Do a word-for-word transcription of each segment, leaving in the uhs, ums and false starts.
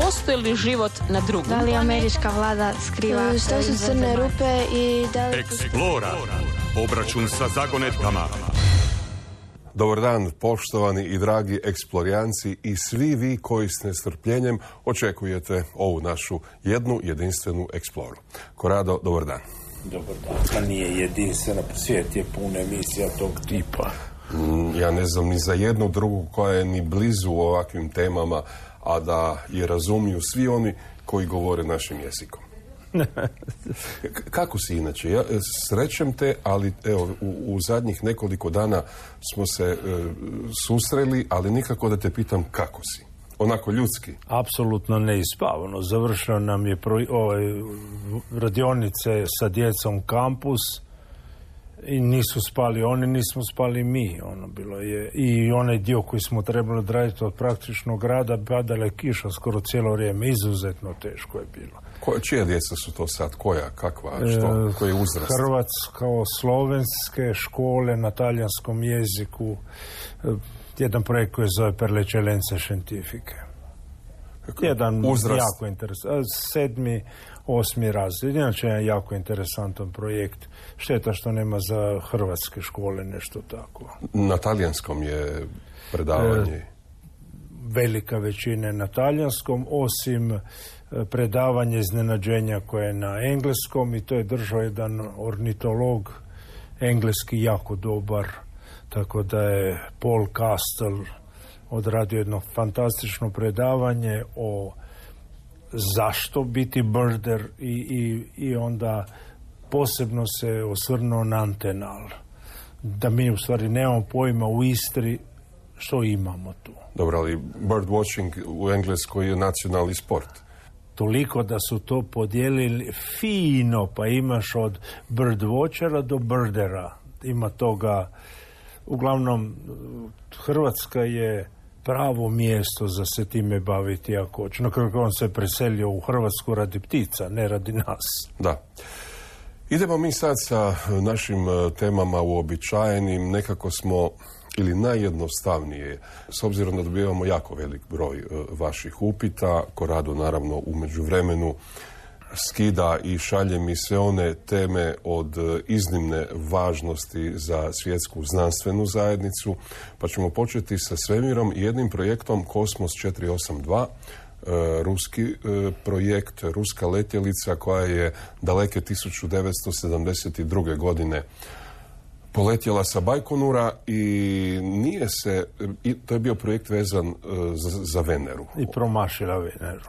postoji li život na drugom? Da li američka vlada skriva? Što su crne rupe i da li... Eksplora. Obračun sa zagonetkama. Dobar dan, poštovani i dragi eksplorijanci i svi vi koji s nestrpljenjem očekujete ovu našu jednu jedinstvenu eksploru. Korado, dobar dan. Dobar dan, pa nije jedinstvena, svijet je puna emisija tog tipa. Mm, ja ne znam ni za jednu drugu koja je ni blizu ovakvim temama, a da je razumiju svi oni koji govore našim jezikom. K- kako si inače? Ja srećem te, ali evo, u, u zadnjih nekoliko dana smo se e, susreli, ali nikako da te pitam kako si. Onako ljudski. Apsolutno neispavano. Završio nam je pro, ovaj, radionice sa djecom kampus i nisu spali oni, nismo spali mi. Ono bilo je. I onaj dio koji smo trebali odraditi od praktičnog rada, padala je kiša skoro cijelo vrijeme. Izuzetno teško je bilo. Ko, čija djeca su to sad? Koja? Kakva? Što? Koji je uzrast? Hrvatsko-slovenske škole na talijanskom jeziku. Jedan projekt koji zove Per le eccellenze scientifiche. Jedan uzrast? Jako interesantan. Sedmi, osmi razred. Inače je jako interesantan projekt. Šteta što nema za hrvatske škole nešto tako. Na talijanskom je predavanje? E, velika većina je na talijanskom, osim predavanje iznenađenja koje je na engleskom, i to je držao jedan ornitolog engleski jako dobar, tako da je Paul Castle odradio jedno fantastično predavanje o zašto biti birder i, i, i onda posebno se osvrnuo na antenal. Da mi u stvari nemamo pojma u Istri što imamo tu. Dobro, ali bird watching u Engleskoj je nacionalni sport. Toliko da su to podijelili fino, pa imaš od birdwatchera do birdera. Ima toga. Uglavnom, Hrvatska je pravo mjesto za se time baviti ako hoće. Na kraju on se preselio u Hrvatsku radi ptica, ne radi nas. Da. Idemo mi sad sa našim temama uobičajenim. Nekako smo, ili najjednostavnije, s obzirom da dobivamo jako velik broj uh, vaših upita, Korado naravno u međuvremenu skida i šalje mi sve one teme od uh, iznimne važnosti za svjetsku znanstvenu zajednicu, pa ćemo početi sa svemirom i jednim projektom Kosmos četiri osam dva, uh, ruski uh, projekt, ruska letjelica koja je daleke tisuću devetsto sedamdeset druge. godine poletjela sa Bajkonura i nije se, i to je bio projekt vezan uh, za, za Veneru. I promašila Veneru.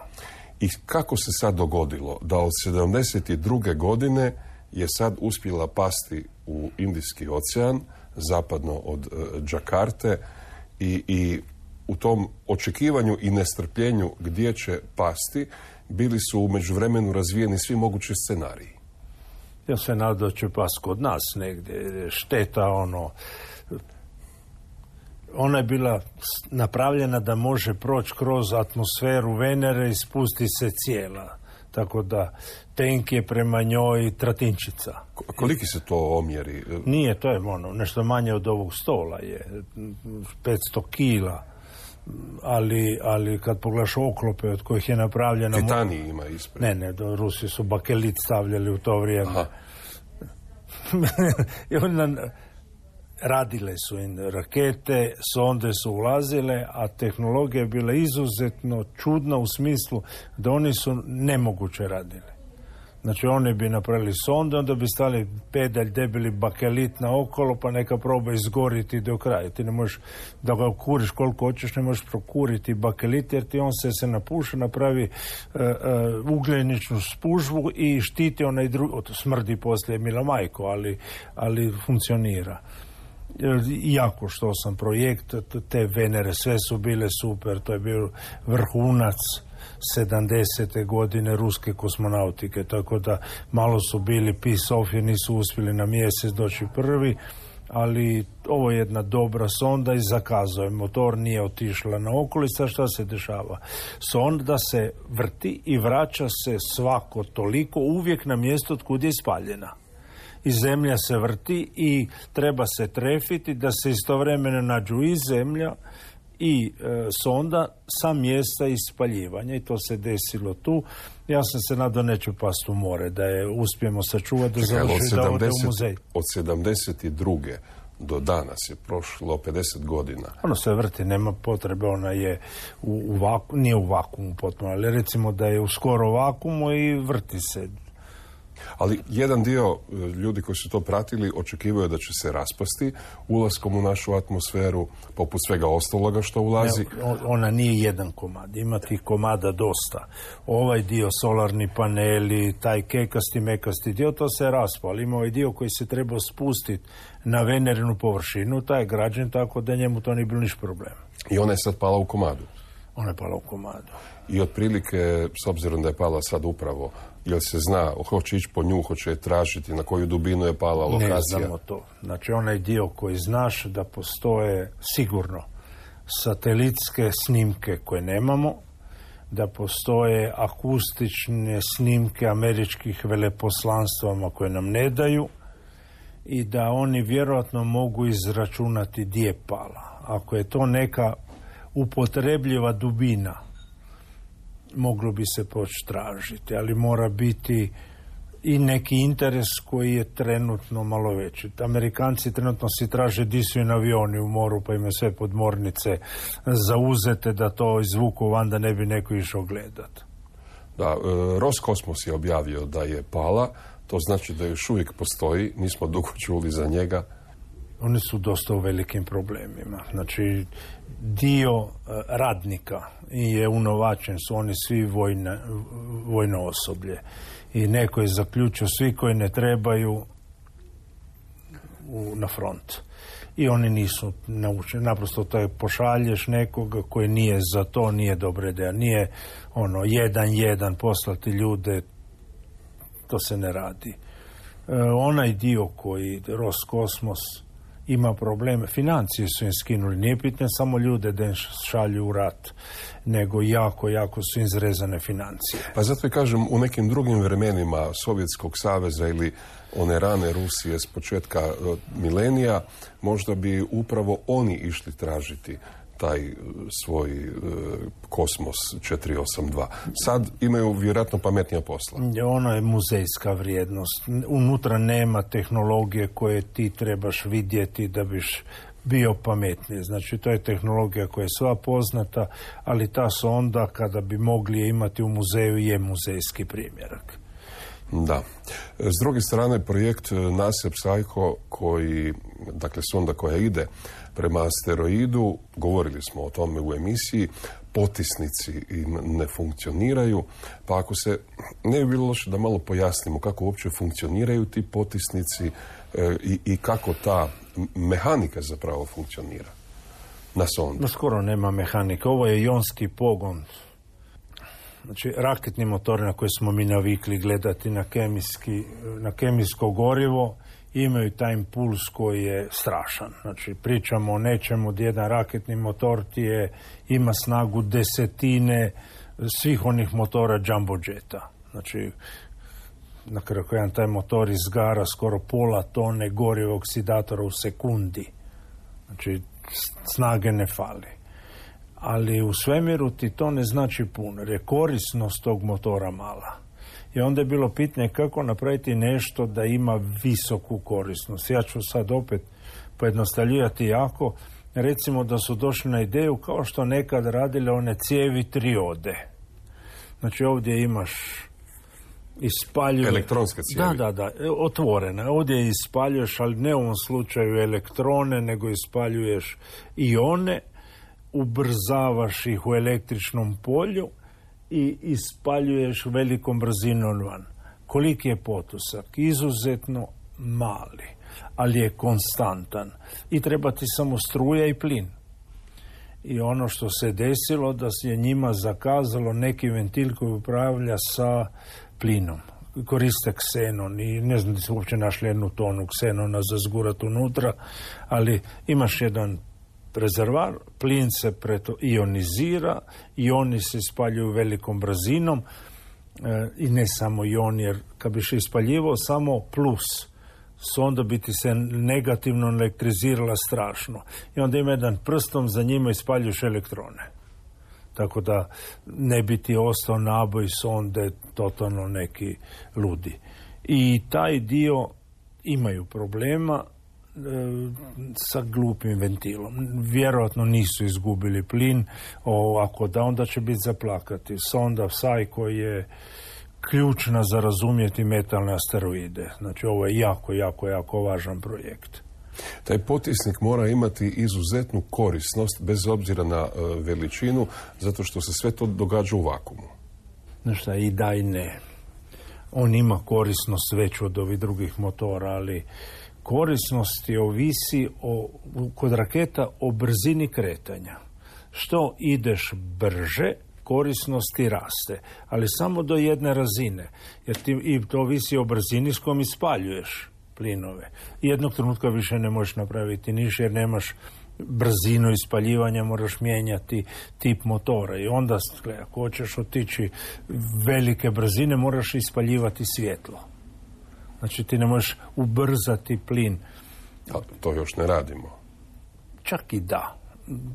I kako se sad dogodilo da od sedamdeset druge. godine je sad uspjela pasti u Indijski ocean, zapadno od uh, Džakarte, i, i u tom očekivanju i nestrpljenju gdje će pasti, bili su u međuvremenu razvijeni svi mogući scenariji. Ja se nadam da će pas kod nas negdje. Šteta, ono... Ona je bila napravljena da može proći kroz atmosferu Venere i spusti se cijela. Tako da tenk je prema njoj tratinčica. Koliki se to omjeri? Nije, to je ono, nešto manje od ovog stola je. petsto kila. Ali, ali kad pogledaš oklope od kojih je napravljena... Titanij ima ispred. Ne, ne, do, Rusi su bakelit stavljali u to vrijeme. I onda radile su im rakete, sonde su ulazile, a tehnologija je bila izuzetno čudna u smislu da oni su nemoguće radili. Znači oni bi napravili sonde, onda bi stali pedalj debeli bakelit na okolo, pa neka proba izgoriti do kraja. Ti ne možeš da ga kuriš koliko hoćeš, ne možeš prokuriti bakelit, jer ti on se se napuša, napravi uh, uh, ugljeničnu spužvu i štiti onaj drugi, smrdi poslije mila majko, ali, ali funkcionira. Jako što sam projekt, te Venere, sve su bile super, to je bio vrhunac sedamdesete godine ruske kosmonautike, tako da malo su bili piss off jer nisu uspjeli na mjesec doći prvi, ali ovo je jedna dobra sonda i zakazao je. Motor nije otišla na okolica. Šta se dešava? Sonda se vrti i vraća se svako toliko uvijek na mjesto od kud je ispaljena. I zemlja se vrti i treba se trefiti da se istovremeno nađu i zemlja i e, sonda sa mjesta ispaljivanja i to se desilo tu. Ja sam se nadao neću past u more, da je uspijemo sačuvati, da završi da ode u muzej. Od sedamdeset druge do danas je prošlo pedeset godina. Ono se vrti, nema potrebe, ona je u, u vaku, nije u vakuumu potpuno, ali recimo da je u skoro vakuumu i vrti se. Ali jedan dio ljudi koji su to pratili očekivaju da će se raspasti ulaskom u našu atmosferu, poput svega ostaloga što ulazi. Ne, ona nije jedan komad, ima tih komada dosta. Ovaj dio, solarni paneli, taj kekasti, mekasti dio, to se raspao, ali ima ovaj dio koji se treba spustiti na venerinu površinu, taj je građen tako da njemu to nije bilo niš problem. I ona je sad pala u komadu? Ona je pala u komadu. I otprilike, s obzirom da je pala sad upravo, jel se zna, hoće ići po nju, hoće je tražiti, na koju dubinu je pala lokacija? Ne znamo to. Znači, onaj dio koji znaš da postoje sigurno satelitske snimke koje nemamo, da postoje akustične snimke američkih veleposlanstvama koje nam ne daju i da oni vjerojatno mogu izračunati gdje je pala. Ako je to neka upotrebljiva dubina, moglo bi se poći tražiti, ali mora biti i neki interes koji je trenutno malo veći. Amerikanci trenutno si traže di su im avioni u moru, pa imaju sve podmornice zauzete da to izvuku van da ne bi neko išao gledat. Da, e, Roskosmos je objavio da je pala, to znači da još uvijek postoji, nismo dugo čuli za njega. Oni su dosta u velikim problemima. Znači, dio uh, radnika je unovačen, su oni svi vojne, vojno osoblje. I neko je zaključio svi koji ne trebaju u, na front. I oni nisu naučeni. Naprosto to je pošalješ nekoga koji nije za to, nije dobra ideja. Nije ono, jedan, jedan poslati ljude, to se ne radi. Uh, onaj dio koji Roskosmos ima probleme, financije su im skinuli, nije pitanje samo ljude da im šalju u rat, nego jako, jako su izrezane financije. Pa zato i kažem, u nekim drugim vremenima Sovjetskog saveza ili one rane Rusije s početka uh, milenija, možda bi upravo oni išli tražiti taj svoj uh, kosmos četiri osam dva. Sad imaju vjerojatno pametnija posla. Ono je muzejska vrijednost. Unutra nema tehnologije koje ti trebaš vidjeti da biš bio pametniji. Znači, to je tehnologija koja je sva poznata, ali ta sonda, kada bi mogli je imati u muzeju, je muzejski primjerak. Da. S druge strane, projekt NASA Psycho, koji, dakle, sonda koja ide prema asteroidu, govorili smo o tome u emisiji, potisnici ne funkcioniraju, pa ako se ne bi bilo loše da malo pojasnimo kako uopće funkcioniraju ti potisnici e, i, i kako ta mehanika zapravo funkcionira na sondi. No, skoro nema mehanike. Ovo je ionski pogon. Znači, raketni motori na koje smo mi navikli gledati na, kemijski, na kemijsko gorivo imaju taj impuls koji je strašan. Znači, pričamo o nečemu gdje jedan raketni motor ti je, ima snagu desetine svih onih motora jumbo jeta. Znači, na kraju jedan taj motor izgara skoro pola tone goriva oksidatora u sekundi. Znači, snage ne fali. Ali u svemiru ti to ne znači puno, jer je korisnost tog motora mala. I onda je bilo pitanje kako napraviti nešto da ima visoku korisnost. Ja ću sad opet pojednostavljivati jako. Recimo da su došli na ideju kao što nekad radile one cijevi triode. Znači ovdje imaš ispaljuje... Elektronske cijevi. Da, da, da, otvorene. Ovdje ispaljuješ, ali ne u ovom slučaju elektrone, nego ispaljuješ ione, ubrzavaš ih u električnom polju i ispaljuješ velikom brzinom van. Koliki je potusak? Izuzetno mali, ali je konstantan. I treba ti samo struja i plin. I ono što se desilo, da se je njima zakazalo neki ventil koji upravlja sa plinom. Koriste ksenon i ne znam da su uopće našli jednu tonu ksenona za zgurat unutra, ali imaš jedan rezervar, plin se preto ionizira i oni se ispaljuju velikom brzinom e, i ne samo ion, jer kad biš ispaljivao samo plus sonda bi ti se negativno elektrizirala strašno. I onda ima jedan prstom, za njima ispaljuješ elektrone. Tako da ne bi ti ostao naboj sonde totalno neki ludi. I taj dio imaju problema e, sa glupim ventilom. Vjerojatno nisu izgubili plin, o, ako da, onda će biti zaplakati. Sonda Psycho je ključna za razumjeti metalne asteroide. Znači ovo je jako, jako, jako važan projekt. Taj potisnik mora imati izuzetnu korisnost bez obzira na uh, veličinu, zato što se sve to događa u vakuumu. Znaš i da i ne. On ima korisnost veću od ovih drugih motora, ali korisnost je ovisi o, kod raketa o brzini kretanja. Što ideš brže, korisnosti raste, ali samo do jedne razine, jer ti, i to ovisi o brzini s kojom ispaljuješ plinove. Jednog trenutka više ne možeš napraviti niš, jer nemaš brzinu ispaljivanja, moraš mijenjati tip motora. I onda, gledaj, ako hoćeš otići velike brzine, moraš ispaljivati svjetlo. Znači ti ne možeš ubrzati plin. A to još ne radimo. Čak i da.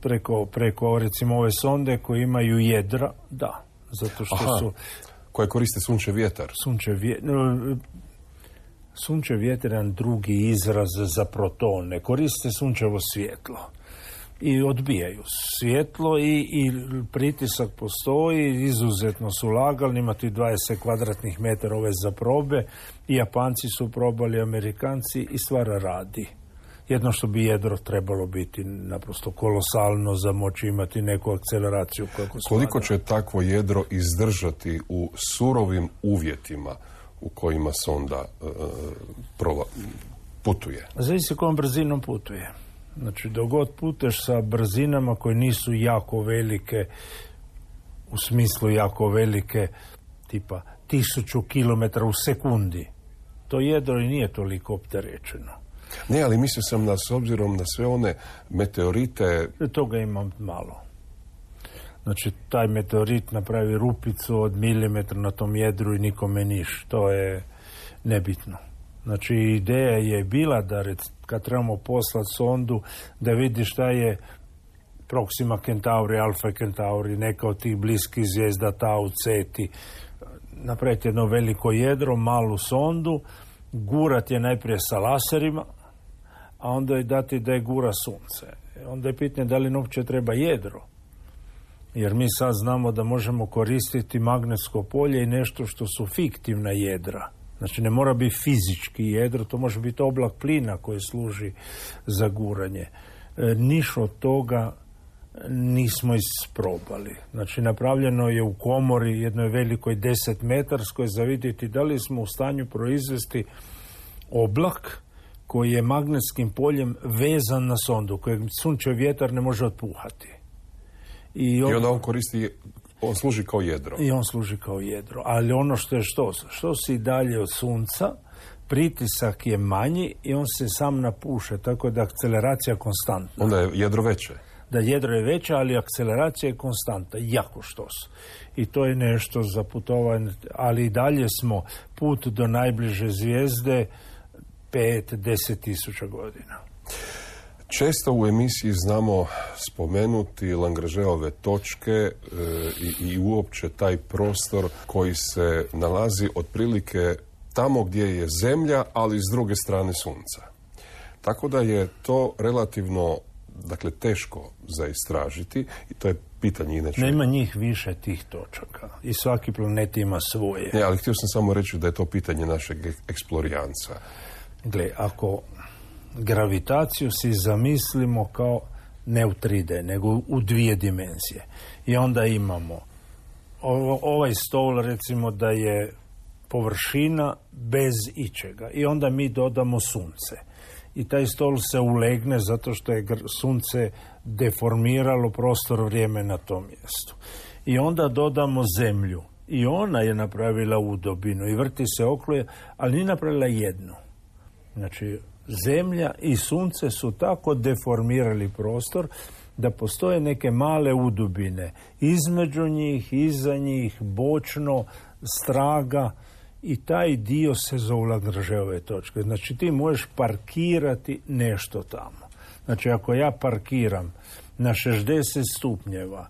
Preko, preko recimo ove sonde koje imaju jedra, da. Zato što Aha, su... koje koriste sunčev vjetar. Sunčev vjetar... Sunčev vjetar je jedan drugi izraz za protone. Koriste sunčevo svjetlo. I odbijaju svjetlo i, i pritisak postoji, izuzetno su lagalni, imati dvadeset kvadratnih metara ove za probe i Japanci su probali, Amerikanci i stvar radi. Jedno što bi jedro trebalo biti naprosto kolosalno za moći imati neku akceleraciju. Kako Koliko će takvo jedro izdržati u surovim uvjetima u kojima sonda uh, prova, putuje? Zavisi kojom brzinom putuje. Znači, dok god puteš sa brzinama koje nisu jako velike, u smislu jako velike, tipa tisuću kilometara u sekundi, to jedro i nije toliko opterećeno. Ne, ali mislio sam da s obzirom na sve one meteorite... Toga imam malo. Znači, taj meteorit napravi rupicu od milimetra na tom jedru i nikome niš. To je nebitno. Znači, ideja je bila da rec, kad trebamo poslati sondu, da vidi šta je Proxima Centauri, Alpha Centauri, neka od tih bliskih zvijezda, Tau, Ceti, napraviti jedno veliko jedro, malu sondu, gurat je najprije sa laserima, a onda je dati da je gura sunce. Onda je pitanje da li uopće treba jedro. Jer mi sad znamo da možemo koristiti magnetsko polje i nešto što su fiktivna jedra. Znači ne mora biti fizički jedro, to može biti oblak plina koji služi za guranje. E, niš od toga nismo isprobali. Znači napravljeno je u komori jednoj velikoj desetmetarskoj za vidjeti da li smo u stanju proizvesti oblak koji je magnetskim poljem vezan na sondu, kojeg sunčev vjetar ne može otpuhati. I, on, I onda on koristi, on služi kao jedro. I on služi kao jedro. Ali ono što je što, što si dalje od sunca, pritisak je manji i on se sam napuše, tako da akceleracija konstantna. Onda je jedro veće. Da jedro je veće, ali akceleracija je konstanta, jako štos. I to je nešto za putovanje, ali i dalje smo put do najbliže zvijezde pet, deset tisuća godina. Često u emisiji znamo spomenuti Lagrangeove točke e, i, i uopće taj prostor koji se nalazi otprilike tamo gdje je Zemlja, ali s druge strane Sunca. Tako da je to relativno, dakle, teško za istražiti i to je pitanje inače. Nema njih više tih točaka i svaki planet ima svoje. Ne, ali htio sam samo reći da je to pitanje našeg eksplorijanca. Gle, ako gravitaciju si zamislimo kao ne u tri D, nego u dvije dimenzije. I onda imamo ovaj stol, recimo da je površina bez ičega. I onda mi dodamo sunce. I taj stol se ulegne zato što je sunce deformiralo prostor vrijeme na tom mjestu. I onda dodamo zemlju. I ona je napravila udobinu i vrti se okruje, ali nije napravila jednu. Znači, Zemlja i sunce su tako deformirali prostor da postoje neke male udubine između njih, iza njih, bočno, straga i taj dio se zove Lagrangeove točke. Znači ti možeš parkirati nešto tamo. Znači ako ja parkiram na šezdeset stupnjeva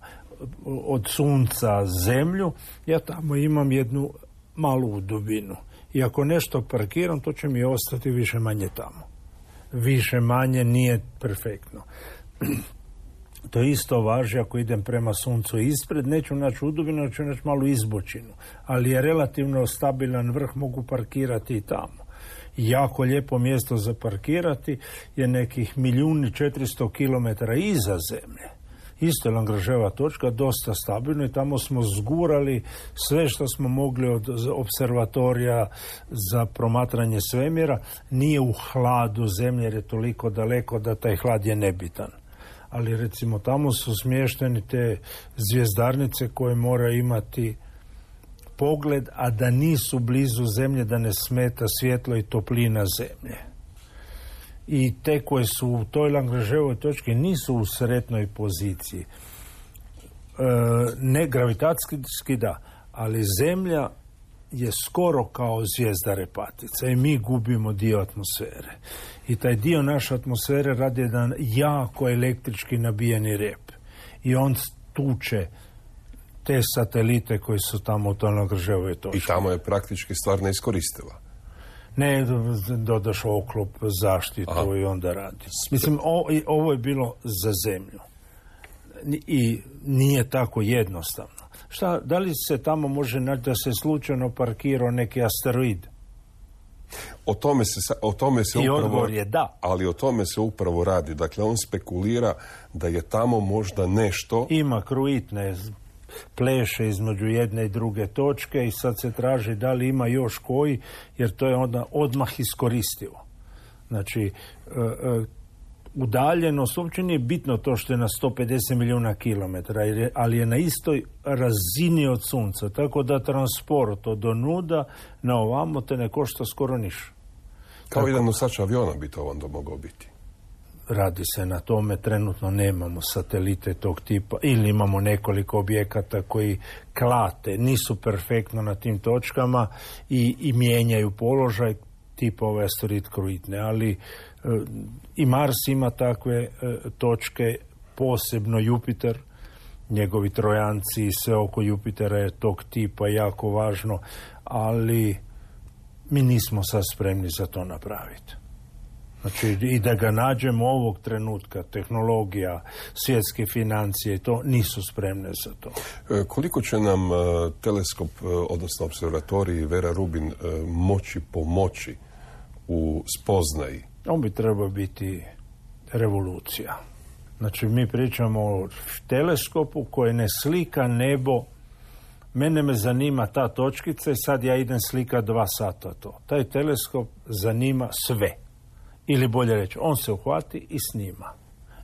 od sunca zemlju, ja tamo imam jednu malu dubinu. I ako nešto parkiram, to će mi ostati više manje tamo. Više manje nije perfektno. To isto važi ako idem prema suncu ispred, neću naći udubinu, ću naći malu izbočinu. Ali je relativno stabilan vrh, mogu parkirati i tamo. Jako lijepo mjesto za parkirati je nekih milijun i četiristo kilometara iza zemlje. Isto je Lagrangeova točka, dosta stabilno i tamo smo zgurali sve što smo mogli od observatorija za promatranje svemira. Nije u hladu zemlje jer je toliko daleko da taj hlad je nebitan. Ali recimo tamo su smješteni te zvjezdarnice koje moraju imati pogled, a da nisu blizu zemlje, da ne smeta svjetlo i toplina zemlje. I te koje su u toj Lagrangeovoj točki nisu u sretnoj poziciji. E, ne gravitacijski da, ali zemlja je skoro kao zvijezda repatica i mi gubimo dio atmosfere. I taj dio naše atmosfere radi jedan jako električki nabijeni rep. I on tuče te satelite koji su tamo u toj Lagrangeovoj točki. I tamo je praktički stvar neiskoristiva. Ne, dodaš oklop, zaštitu Aha. i onda radi. Mislim, o, ovo je bilo za zemlju. I nije tako jednostavno. Šta, da li se tamo može naći da se slučajno parkirao neki asteroid? O tome se, o tome se I upravo... odgovor je da. Ali o tome se upravo radi. Dakle, on spekulira da je tamo možda nešto... Ima kruitne pleše između jedne i druge točke i sad se traži da li ima još koji, jer to je onda odmah iskoristivo. Znači, e, e, udaljenost uopće nije bitno to što je na sto pedeset milijuna kilometara, ali je na istoj razini od sunca, tako da transport od onuda na ovamo te ne košta skoro ništa. Kao tako, jedan nosač aviona bi to onda mogao biti. Radi se na tome, trenutno nemamo satelite tog tipa ili imamo nekoliko objekata koji klate, nisu perfektno na tim točkama i, i mijenjaju položaj tipa ove asteroid kruitne, ali e, i Mars ima takve e, točke, posebno Jupiter, njegovi trojanci i sve oko Jupitera je tog tipa jako važno, ali mi nismo sad spremni za to napraviti. Znači, i da ga nađemo ovog trenutka, tehnologija, svjetske financije, to nisu spremne za to. E, koliko će nam e, teleskop, e, odnosno observatorij Vera Rubin, e, moći pomoći u spoznaji? On bi trebao biti revolucija. Znači, mi pričamo o teleskopu koji ne slika nebo. Mene me zanima ta točkica i sad ja idem slika dva sata to. Taj teleskop zanima sve. Ili bolje reći, on se uhvati i snima.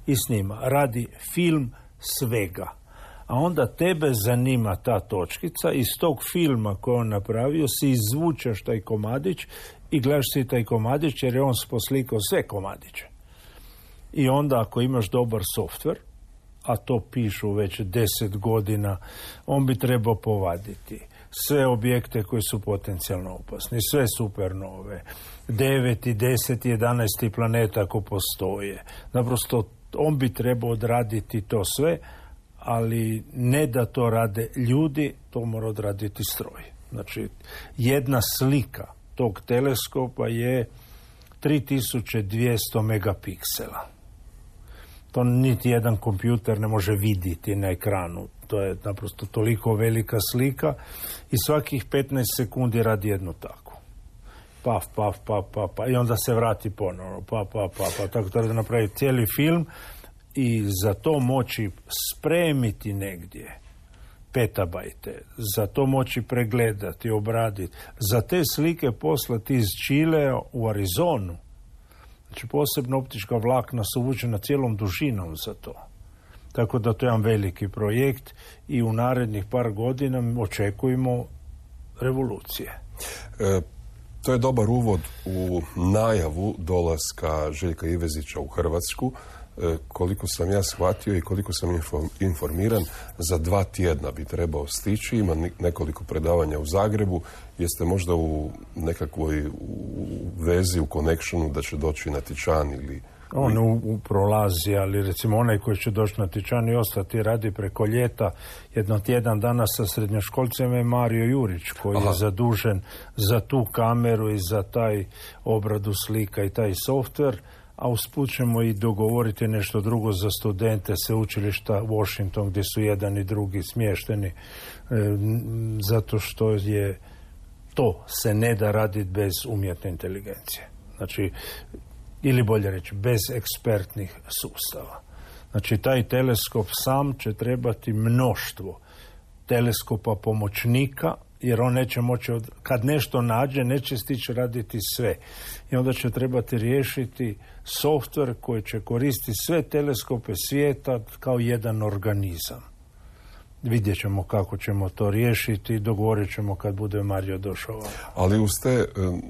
I snima. Radi film svega. A onda tebe zanima ta točkica, iz tog filma koji on napravio si izvučeš taj komadić i gledaš si taj komadić jer je on poslikao sve komadiće. I onda ako imaš dobar softver, a to pišu već deset godina, on bi trebao povaditi sve objekte koji su potencijalno opasni, sve supernove, devet i deset i jedanaest planeta ako postoje. Naprosto on bi trebao odraditi to sve, ali ne da to rade ljudi, to mora odraditi stroj. Znači, jedna slika tog teleskopa je tri tisuće dvjesto megapiksela. To niti jedan kompjuter ne može vidjeti na ekranu. To je naprosto toliko velika slika i svakih petnaest sekundi radi jednu takvu. Paf, paf, paf, paf, paf. I onda se vrati ponovno. Paf, paf, paf, paf. Tako treba da napravi cijeli film i za to moći spremiti negdje petabajte, za to moći pregledati, obraditi, za te slike poslati iz Čilea u Arizonu. Znači, posebno optička vlakna su uvučena cijelom dužinom za to. Tako da to je jedan veliki projekt i u narednih par godina očekujemo revolucije. E, to je dobar uvod u najavu dolaska Željka Ivezića u Hrvatsku. koliko sam ja shvatio i koliko sam informiran, za dva tjedna bi trebao stići. Ima nekoliko predavanja u Zagrebu. Jeste možda u nekakvoj u vezi, u connectionu da će doći na Tičan ili... On u, u prolazi, ali recimo onaj koji će doći na Tičan i ostati radi preko ljeta, jedno tjedan dana sa srednjoškolcima je Mario Jurić, koji Aha. je zadužen za tu kameru i za taj obradu slika i taj softver, a usput ćemo i dogovoriti nešto drugo za studente sveučilišta Washington, gdje su jedan i drugi smješteni, e, zato što je to se ne da raditi bez umjetne inteligencije. Znači, ili bolje reći, bez ekspertnih sustava. Znači, taj teleskop sam će trebati mnoštvo teleskopa pomoćnika, jer on neće moći, od, kad nešto nađe, neće stići raditi sve. I onda će trebati riješiti softver koji će koristiti sve teleskope svijeta kao jedan organizam. Vidjet ćemo kako ćemo to riješiti i dogovorit ćemo kad bude Mario došao. Ali uz te um,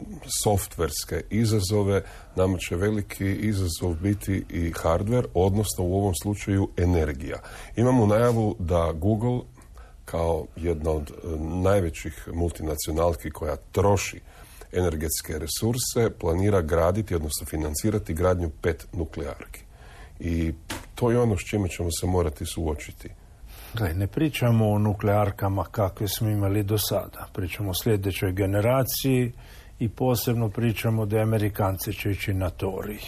softverske izazove nama će veliki izazov biti i hardware, odnosno u ovom slučaju energija. Imamo najavu da Google, kao jedna od um, najvećih multinacionalki koja troši energetske resurse, planira graditi, odnosno financirati gradnju pet nuklearki. I to je ono s čime ćemo se morati suočiti. Gle, ne pričamo o nuklearkama kakve smo imali do sada. Pričamo o sljedećoj generaciji i posebno pričamo da Amerikanci će ići na torij.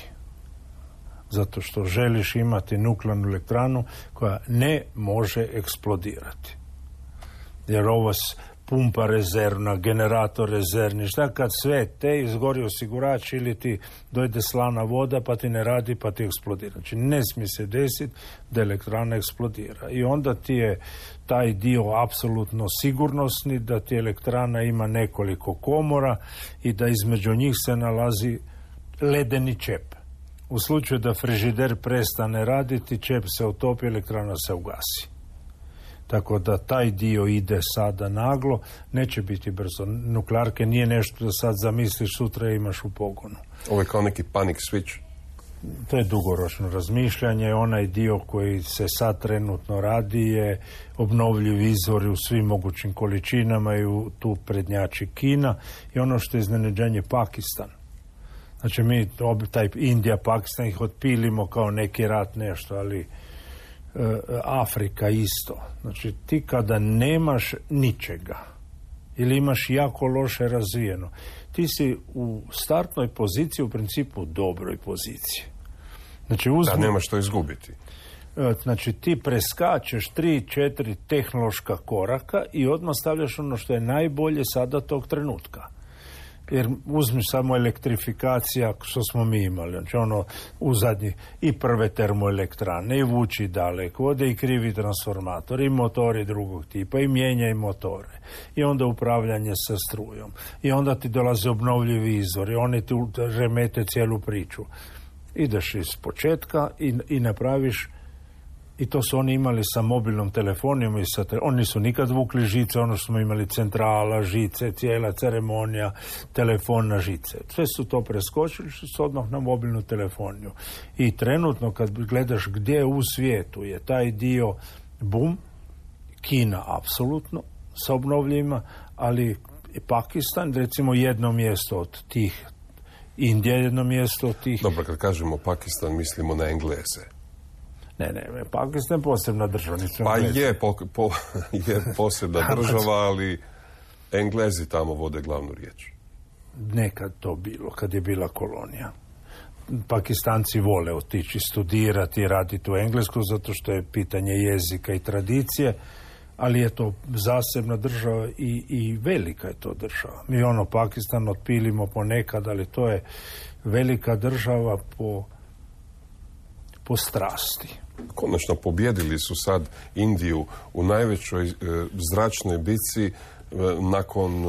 Zato što želiš imati nuklearnu elektranu koja ne može eksplodirati. Jer ovo pumpa rezervna, generator rezervni, šta kad sve te izgori osigurač ili ti dojde slana voda pa ti ne radi pa ti eksplodira. Znači ne smije se desiti da elektrana eksplodira. I onda ti je taj dio apsolutno sigurnosni, da ti elektrana ima nekoliko komora i da između njih se nalazi ledeni čep. U slučaju da frižider prestane raditi, čep se utopi, elektrana se ugasi. Tako da taj dio ide sada naglo, neće biti brzo. Nuklearke nije nešto da sad zamisliš sutra imaš u pogonu. Ovo je kao neki panic switch. To je dugoročno razmišljanje. Onaj dio koji se sad trenutno radi je obnovljivi izvori u svim mogućim količinama i u tu prednjači Kina. I ono što je iznenađenje Pakistan. Znači mi taj Indija, Pakistan ih otpilimo kao neki rat nešto, ali Afrika isto. Znači ti kada nemaš ničega ili imaš jako loše razvijeno, ti si u startnoj poziciji, u principu dobroj poziciji. Znači uzmi, da nemaš što izgubiti. Znači ti preskačeš tri, četiri tehnološka koraka i odmah stavljaš ono što je najbolje sada tog trenutka. Jer uzmi samo elektrifikacija što smo mi imali, znači ono u zadnji i prve termoelektrane i vuči daleko, ode i krivi transformator i motori drugog tipa i mijenjaj motore i onda upravljanje sa strujom i onda ti dolaze obnovljivi izvori, oni ti remete cijelu priču. Ideš iz početka i, i napraviš. I to su oni imali sa mobilnom telefonijom i sa te... oni su nikad vukli žice, ono što smo imali centrala, žice, cijela ceremonija, telefon na žice. Sve su to preskočili, što su odmah na mobilnu telefoniju. I trenutno kad gledaš gdje u svijetu je taj dio bum, Kina apsolutno sa obnovljivima, ali Pakistan recimo jedno mjesto od tih, Indija jedno mjesto od tih. Dobro, kad kažemo Pakistan mislimo na Engleze. Ne, ne, Pakistan je posebna država. Pa je, po, po, je posebna država, ali Englezi tamo vode glavnu riječ. Nekad to bilo, kad je bila kolonija. Pakistanci vole otići studirati i raditi u Englesku, zato što je pitanje jezika i tradicije, ali je to zasebna država i, i velika je to država. Mi ono Pakistan otpilimo ponekad, ali to je velika država po, po strasti. Konačno pobjedili su sad Indiju u najvećoj e, zračnoj bici e, nakon e,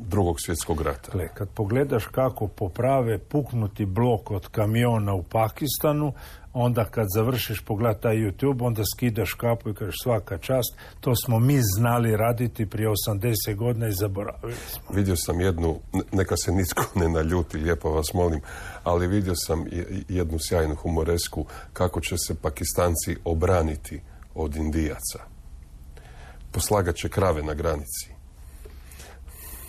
drugog svjetskog rata. Gle, kad pogledaš kako poprave puknuti blok od kamiona u Pakistanu, onda kad završiš pogled taj YouTube, onda skidaš kapu i kažeš svaka čast, to smo mi znali raditi prije osamdeset godina i zaboravili smo. Vidio sam jednu, neka se nitko ne naljuti, lijepo vas molim, ali vidio sam jednu sjajnu humoresku kako će se Pakistanci obraniti od Indijaca. Poslagat će krave na granici.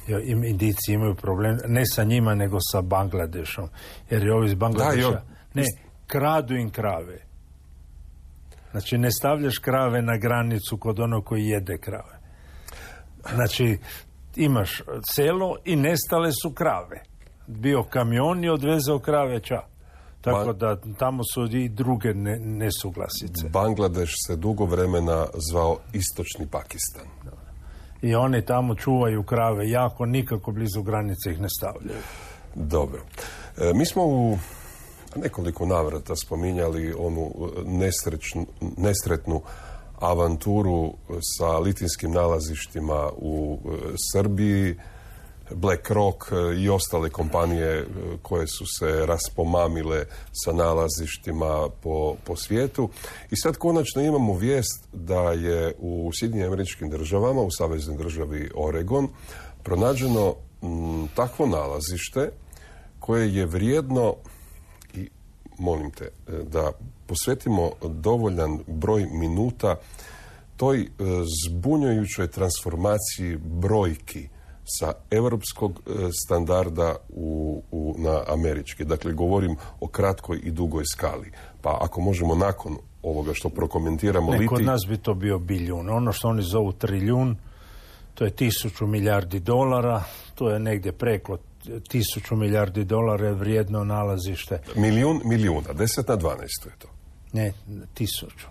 Jo, Indijci imaju problem, ne sa njima, nego sa Bangladešom. Jer je ovi iz Bangladeša... Da, jo. Ne, kradu im krave. Znači, ne stavljaš krave na granicu kod onog koji jede krave. Znači, imaš selo i nestale su krave. Bio kamion i odvezao krave ča. Tako da tamo su i druge ne, nesuglasice. Bangladeš se dugo vremena zvao Istočni Pakistan. I oni tamo čuvaju krave jako, nikako blizu granice ih ne stavljaju. Dobro. E, mi smo u nekoliko navrata spominjali onu nesrećnu, nesretnu avanturu sa litinskim nalazištima u Srbiji, BlackRock i ostale kompanije koje su se raspomamile sa nalazištima po, po svijetu. I sad konačno imamo vijest da je u Sjedinjenim Američkim Državama, u saveznoj državi Oregon, pronađeno m, takvo nalazište koje je vrijedno, i molim te da posvetimo dovoljan broj minuta toj zbunjujućoj transformaciji brojki sa europskog standarda u, u, na američki. Dakle, govorim o kratkoj i dugoj skali. Pa ako možemo nakon ovoga što prokomentiramo... Ne, liti... kod nas bi to bio bilijun. Ono što oni zovu trilijun, to je tisuću milijardi dolara, to je negdje preko tisuću milijardi dolara je vrijedno nalazište. Milijun milijuna, deset na dvanaest je to. Ne, tisuću.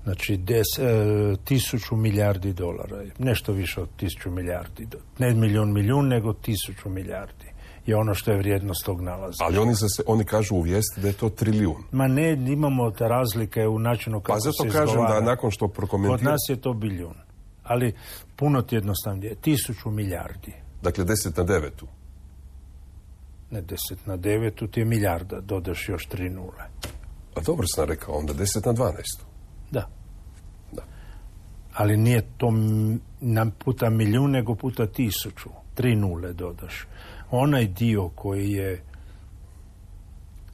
Znači, des, e, tisuću milijardi dolara. Nešto više od tisuću milijardi. Ne milijun milijun, nego tisuću milijardi. Je ono što je vrijednost tog nalaza. Ali oni, se, oni kažu u vijesti da je to trilijun. Ma ne, imamo te razlike u načinu kako se izgovara. Pa zato kažem da nakon što prokomentiram... Kod nas je to bilijun. Ali puno ti jednostavnije. Tisuću milijardi. Dakle, deset na devetu. Ne, deset na devetu ti je milijarda. Dodaš još tri nule. A dobro sam rekao, onda deset na dvanaest. Da. Da. Ali nije to nam puta milijun, nego puta tisuću. Tri nule dodaš. Onaj dio koji je...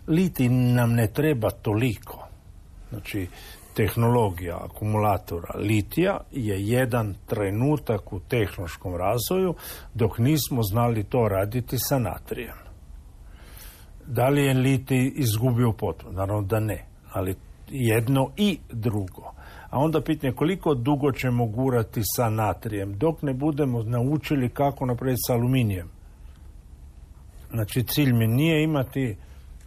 Liti nam ne treba toliko. Znači, tehnologija akumulatora litija je jedan trenutak u tehnološkom razvoju dok nismo znali to raditi sa natrijem. Da li je litij izgubio potpuno? Naravno da ne, ali jedno i drugo. A onda pitanje koliko dugo ćemo gurati sa natrijem dok ne budemo naučili kako napraviti sa aluminijem. Znači cilj mi nije imati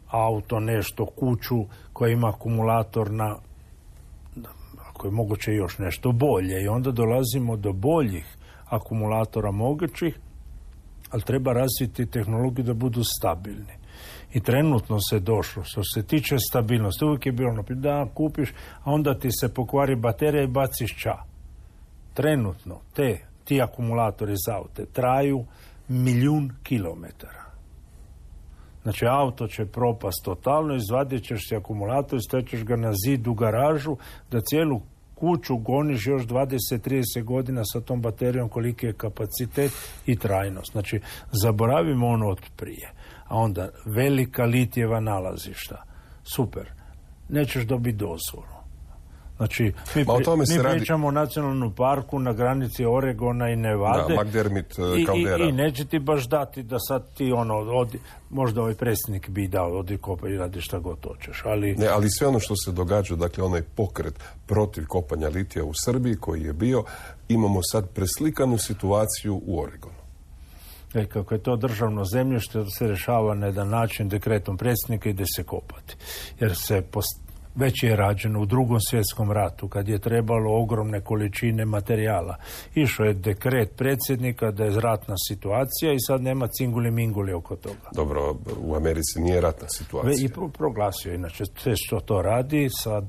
auto, nešto, kuću koja ima akumulator na, ako je moguće još nešto bolje, i onda dolazimo do boljih akumulatora mogućih, ali treba razviti tehnologiju da budu stabilni. I trenutno se došlo, što se tiče stabilnosti, uvijek je bilo da kupiš, a onda ti se pokvari baterija i baciš ča. Trenutno te, ti akumulatori za aute traju milijun kilometara. Znači, auto će propast totalno, izvadit ćeš si akumulator, staćeš ga na zid u garažu, da cijelu kuću goniš još dvadeset do trideset godina sa tom baterijom koliki je kapacitet i trajnost. Znači, zaboravimo ono od prije. A onda, velika litijeva nalazišta. Super. Nećeš dobiti dozvolu. Znači, mi, pri, mi pričamo radi... o nacionalnom parku na granici Oregona i Nevade. Da, McDermott, i, Caldera. I, I neće ti baš dati da sad ti ono, odi, možda ovaj predsjednik bi dao, odi kopa i radi šta god hoćeš. Ali... Ne, ali sve ono što se događa, dakle onaj pokret protiv kopanja litija u Srbiji koji je bio, imamo sad preslikanu situaciju u Oregonu. E, kako je to državno zemljište, se rešava na jedan način dekretom predsjednika, ide se kopati. Jer se post... već je rađeno u Drugom svjetskom ratu, kad je trebalo ogromne količine materijala. Išao je dekret predsjednika da je ratna situacija i sad nema cinguli minguli oko toga. Dobro, u Americi nije ratna situacija. I pro- proglasio, inače, sve što to radi sa e,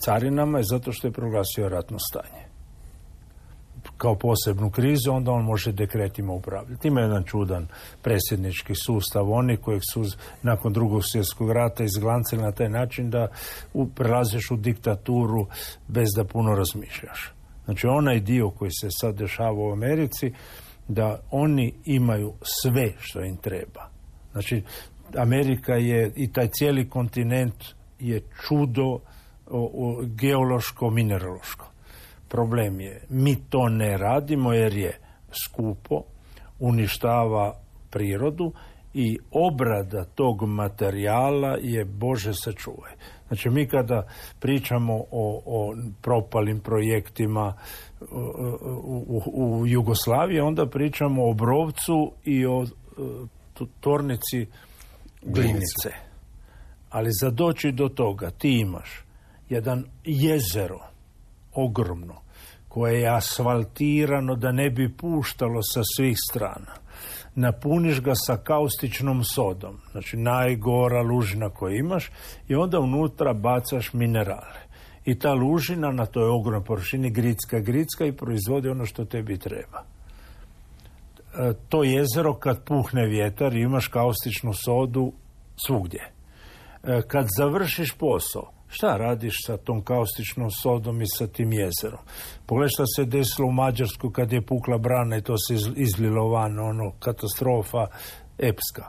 carinama je zato što je proglasio ratno stanje. kao posebnu krizu, onda on može dekretima upravljati. Ima jedan čudan predsjednički sustav, oni kojeg su nakon drugog svjetskog rata izglancili na taj način da u, prelaziš u diktaturu bez da puno razmišljaš. Znači onaj dio koji se sad dešava u Americi, da oni imaju sve što im treba. Znači Amerika je i taj cijeli kontinent je čudo o, o, geološko, mineraloško. Problem je, mi to ne radimo jer je skupo, uništava prirodu i obrada tog materijala je, Bože sačuvaj. Znači mi kada pričamo o, o propalim projektima u, u, u Jugoslaviji, onda pričamo o Obrovcu i o tvornici Glinice. Ali za doći do toga ti imaš jedan jezero ogromno, koje je asfaltirano da ne bi puštalo sa svih strana. Napuniš ga sa kaustičnom sodom, znači najgora lužina koju imaš, i onda unutra bacaš minerale. I ta lužina na toj ogromnoj površini gricka, gricka i proizvodi ono što tebi treba. E, to jezero kad puhne vjetar imaš kaustičnu sodu svugdje. E, kad završiš posao, šta radiš sa tom kaustičnom sodom i sa tim jezerom? Pogledaj šta se desilo u Mađarsku kad je pukla brana i to se izlilo van, ono, katastrofa epska.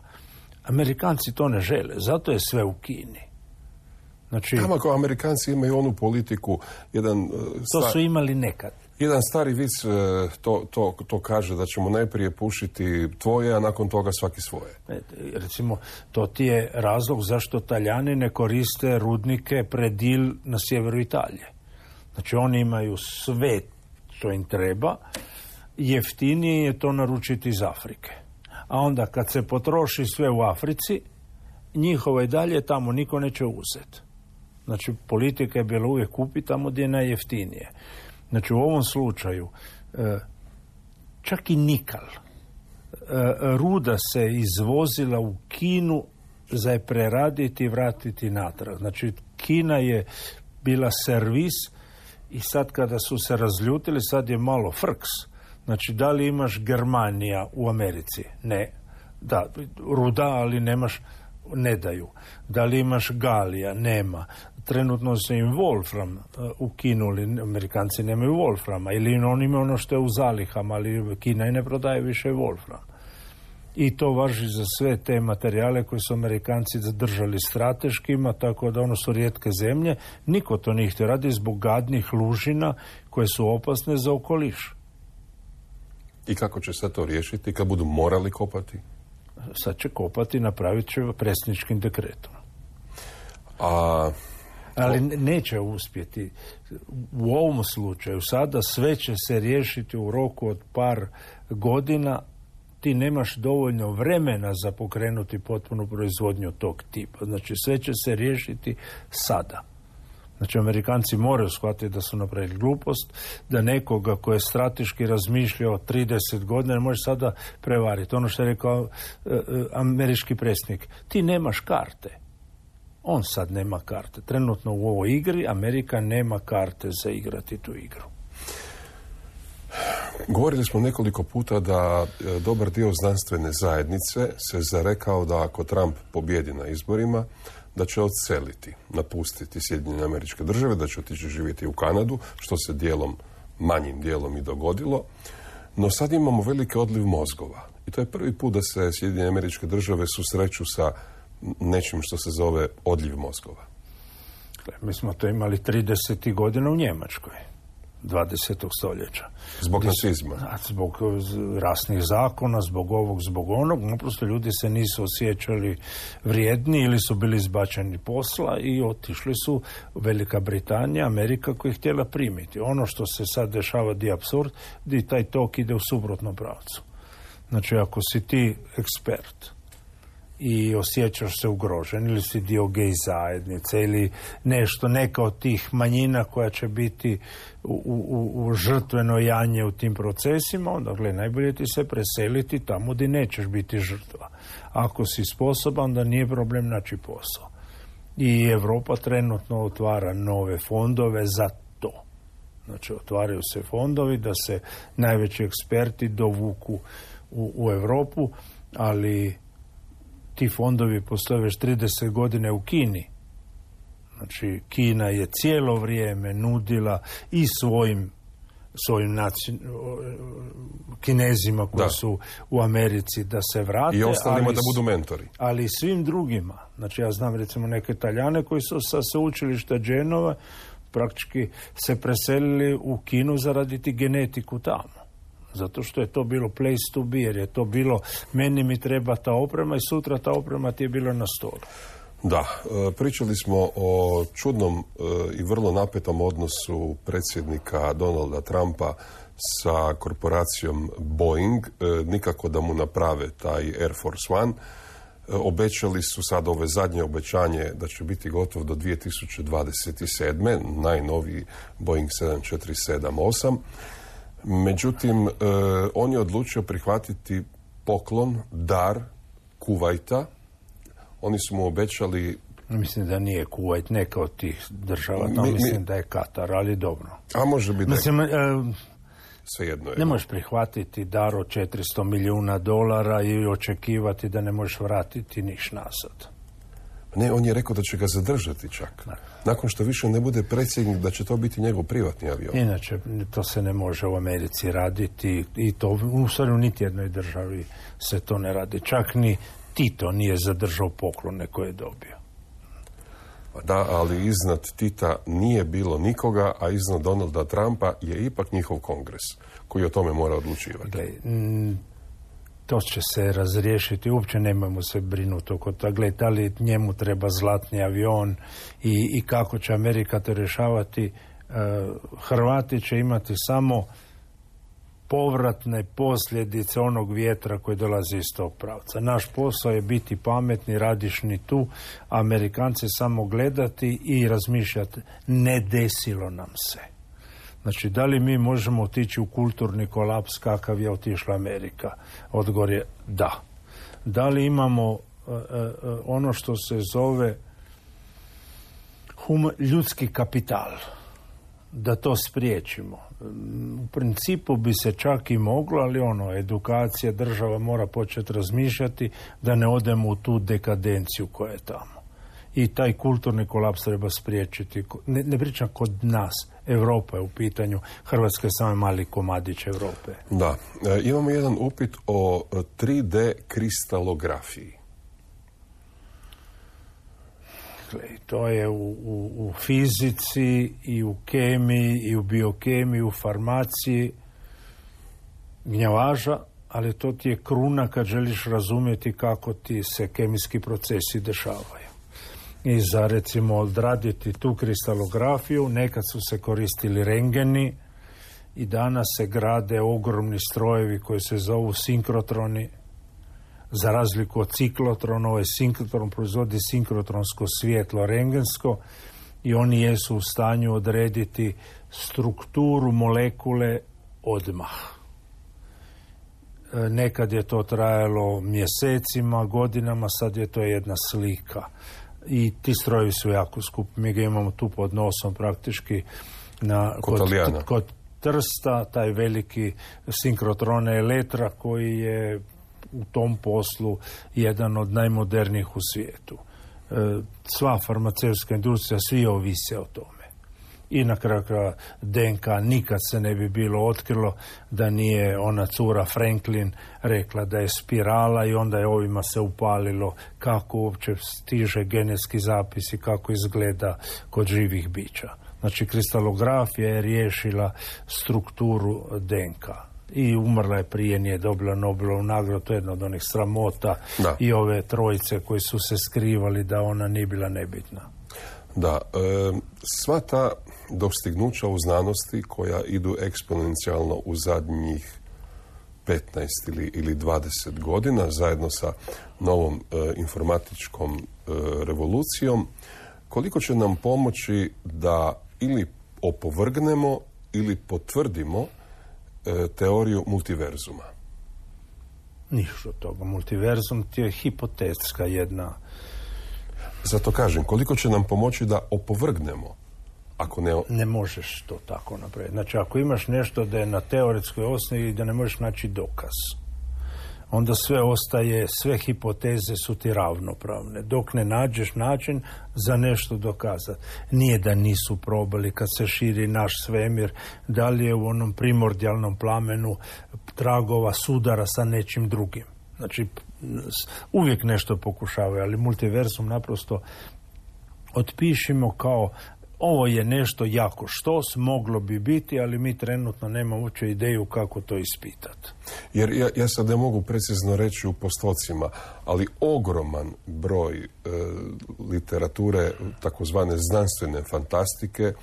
Amerikanci to ne žele, zato je sve u Kini. Znači, tamo kao Amerikanci imaju onu politiku, jedan... To su imali nekad. Jedan stari vic to, to, to kaže da ćemo najprije pušiti tvoje, a nakon toga svaki svoje. Recimo, to ti je razlog zašto Talijani ne koriste rudnike Predil na sjeveru Italije. Znači, oni imaju sve što im treba, jeftinije je to naručiti iz Afrike. A onda kad se potroši sve u Africi, njihovo i dalje tamo niko neće uzeti. Znači, politika je bila uvijek kupi tamo gdje je najjeftinije. Znači, u ovom slučaju, čak i nikal, ruda se izvozila u Kinu za je preraditi i vratiti natrag. Znači, Kina je bila servis i sad kada su se razljutili, sad je malo frks. Znači, da li imaš Germanija u Americi? Ne. Da, ruda, ali nemaš, ne daju. Da li imaš Galija? Nema. Trenutno se im Wolfram uh, ukinuli, Amerikanci nemaju Wolframa, ili oni imaju ono što je u zalihama, ali Kina i ne prodaje više Wolfram. I to važi za sve te materijale koje su Amerikanci zadržali strateškima, tako da ono su rijetke zemlje. Niko to nije htio radi zbog gadnih lužina koje su opasne za okoliš. I kako će se to riješiti kad budu morali kopati? Sad će kopati, napravit će predsjedničkim dekretom. A... Ali neće uspjeti. U ovom slučaju sada sve će se riješiti u roku od par godina. Ti nemaš dovoljno vremena za pokrenuti potpunu proizvodnju tog tipa. Znači sve će se riješiti sada. Znači Amerikanci moraju shvatiti da su napravili glupost, da nekoga ko je strateški razmišljao trideset godina ne može sada prevariti. Ono što je rekao e, e, američki predsjednik, ti nemaš karte. On sad nema karte. Trenutno u ovoj igri Amerika nema karte za igrati tu igru. Govorili smo nekoliko puta da dobar dio znanstvene zajednice se zarekao da ako Trump pobjedi na izborima, da će odseliti, napustiti Sjedinjene Američke Države, da će otići živjeti u Kanadu, što se dijelom, manjim dijelom i dogodilo. No sad imamo veliki odliv mozgova. I to je prvi put da se Sjedinjene Američke Države susreću sa nečim što se zove odljiv mozgova. Mi smo to imali trideset godina u Njemačkoj, dvadesetog stoljeća. Zbog nacizma? Zbog rasnih zakona, zbog ovog, zbog onog. Naprosto ljudi se nisu osjećali vrijedni ili su bili izbačeni posla i otišli su Velika Britanija, Amerika koja je htjela primiti. Ono što se sad dešava di apsurd, di taj tok ide u suprotnom pravcu. Znači, ako si ti ekspert i osjećaš se ugrožen ili si dio gej zajednice ili nešto, neka od tih manjina koja će biti u, u, u žrtveno janje u tim procesima, onda gledaj, najbolje ti se preseliti tamo gdje nećeš biti žrtva. Ako si sposoban, da nije problem naći posao. I Europa trenutno otvara nove fondove za to. Znači, otvaraju se fondovi da se najveći eksperti dovuku u, u Europu, ali ti fondovi postoje već trideset godine u Kini. Znači, Kina je cijelo vrijeme nudila i svojim svojim naci... Kinezima koji da. su u Americi da se vrate. I ostalima ali, da budu mentori. Ali i svim drugima. Znači, ja znam recimo neke Italijane koji su sa sveučilišta Genova praktički se preselili u Kinu zaraditi genetiku tamo. Zato što je to bilo place to be, jer je to bilo meni mi treba ta oprema i sutra ta oprema ti je bila na stolu. Da, pričali smo o čudnom i vrlo napetom odnosu predsjednika Donalda Trumpa sa korporacijom Boeing, nikako da mu naprave taj Air Force One. Obećali su sad ove zadnje obećanje da će biti gotov do dvije tisuće dvadeset sedme. najnoviji Boeing sedam četiri sedam osam. Međutim, on je odlučio prihvatiti poklon, dar Kuvajta. Oni su mu obećali... Mislim da nije Kuvajt, neka od tih država, to mi, mislim mi... da je Katar, ali dobro. A može biti mislim, da je... Svejedno je. Ne možeš prihvatiti dar od četiristo milijuna dolara i očekivati da ne možeš vratiti niš nazad. Ne, on je rekao da će ga zadržati čak. Ne. Nakon što više ne bude predsjednik, da će to biti njegov privatni avion. Inače, to se ne može u Americi raditi i to u stvari u niti jednoj državi se to ne radi. Čak ni Tito nije zadržao poklone koje je dobio. Da, ali iznad Tita nije bilo nikoga, a iznad Donalda Trumpa je ipak njihov kongres koji o tome mora odlučivati. Gle, m, to će se razriješiti, uopće nemojmo se brinuti oko toga. Gle, da li njemu treba zlatni avion i, i kako će Amerika to rješavati. E, Hrvati će imati samo povratne posljedice onog vjetra koji dolazi iz tog pravca. Naš posao je biti pametni, radišni tu, Amerikanci samo gledati i razmišljati, ne desilo nam se. Znači, da li mi možemo otići u kulturni kolaps kakav je otišla Amerika? Odgovor je da. Da li imamo uh, uh, ono što se zove hum, ljudski kapital? Da to spriječimo. U principu bi se čak i moglo, ali ono, edukacija, država mora početi razmišljati da ne odemo u tu dekadenciju koja je tamo. I taj kulturni kolaps treba spriječiti. Ne, ne pričam kod nas, Europa je u pitanju, Hrvatska je samo mali komadić Europe. Da, e, imamo jedan upit o tri D kristalografiji. To je u, u, u fizici i u kemiji i u biokemiji, u farmaciji gnjavaža, ali to ti je kruna kad želiš razumjeti kako ti se kemijski procesi dešavaju. I za recimo odraditi tu kristalografiju nekad su se koristili rengeni i danas se grade ogromni strojevi koji se zovu sinkrotroni. Za razliku od ciklotrona, ovaj sinkrotron proizvodi sinkrotronsko svjetlo rengensko i oni jesu u stanju odrediti strukturu molekule odmah. Nekad je to trajalo mjesecima, godinama, sad je to jedna slika. I ti strojevi su jako skupi. Mi ga imamo tu pod nosom praktički na, kod, kod, kod Trsta, taj veliki sinkrotron Eletra koji je u tom poslu jedan od najmodernijih u svijetu. E, sva farmaceutska industrija, svi ovise o tome. I na kraju D N K nikad se ne bi bilo otkrilo da nije ona cura Franklin rekla da je spirala i onda je ovima se upalilo kako uopće stiže genetski zapis i kako izgleda kod živih bića. Znači, kristalografija je riješila strukturu D N K. I umrla je prije, nije dobila Nobelovu nagradu, to je jedna od onih sramota. Da. I ove trojice koji su se skrivali da ona nije bila nebitna. Da, e, sva ta dostignuća u znanosti koja idu eksponencijalno u zadnjih petnaest ili, ili dvadeset godina zajedno sa novom e, informatičkom e, revolucijom, koliko će nam pomoći da ili opovrgnemo ili potvrdimo e, teoriju multiverzuma? Ništa od toga. Multiverzum ti je hipotetska jedna. Zato kažem, koliko će nam pomoći da opovrgnemo, Ako ne... ne možeš to tako napraviti. Znači, ako imaš nešto da je na teoretskoj osnovi i da ne možeš naći dokaz, onda sve ostaje, sve hipoteze su ti ravnopravne. Dok ne nađeš način za nešto dokazati. Nije da nisu probali kad se širi naš svemir, da li je u onom primordijalnom plamenu tragova sudara sa nečim drugim. Znači, uvijek nešto pokušavaju, ali multiverzum naprosto otpišimo kao ovo je nešto jako štos, moglo bi biti, ali mi trenutno nemamo uopće ideju kako to ispitati. Jer ja, ja sad ne mogu precizno reći u postocima, ali ogroman broj e, literature, takozvane znanstvene fantastike,